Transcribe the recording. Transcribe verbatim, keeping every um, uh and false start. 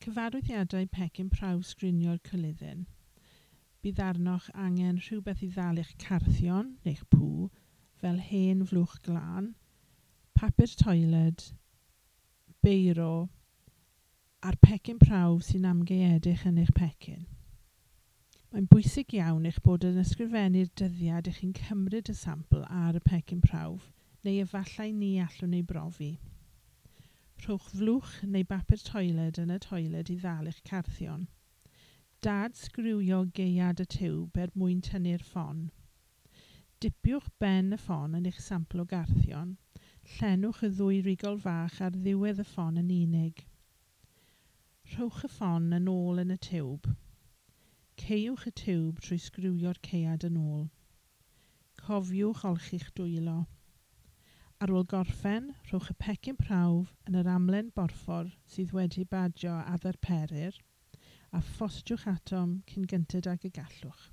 Cyfarwyddiadau pecyn prawf sgrinio'r coluddyn. Bydd arnoch angen rhywbeth i ddal eich carthion neu'ch pŵ, fel hen flwch glân, papur toiled, beiro a'r pecyn prawf sy'n amgaeedig yn eich pecyn. Mae'n bwysig iawn eich bod yn ysgrifennu'r dyddiad ych chi'n cymryd y sampl ar y pecyn prawf, neu efallai ni allwn ei brofi. Rhowch flwch neu bapur toiled yn y toiled i ddal eich carthion. Dad-sgriwio gaead y tiwb er mwyn tynnu'r ffon. Dipiwch ben y ffon yn eich sampl o garthion. Llenwch y ddwy rigol fach ar ddiwedd y ffon yn unig. Rhowch y ffon yn ôl yn y tiwb. Caewch y tiwb trwy sgriwio'r caead yn ôl. Cofiwch olchi'ch dwylo. Ar ôl gorffen, rhowch y pecyn prawf yn yr amlen borffor sydd wedi badio a ddarperir a phostiwch atom cyn gynted ag y gallwch.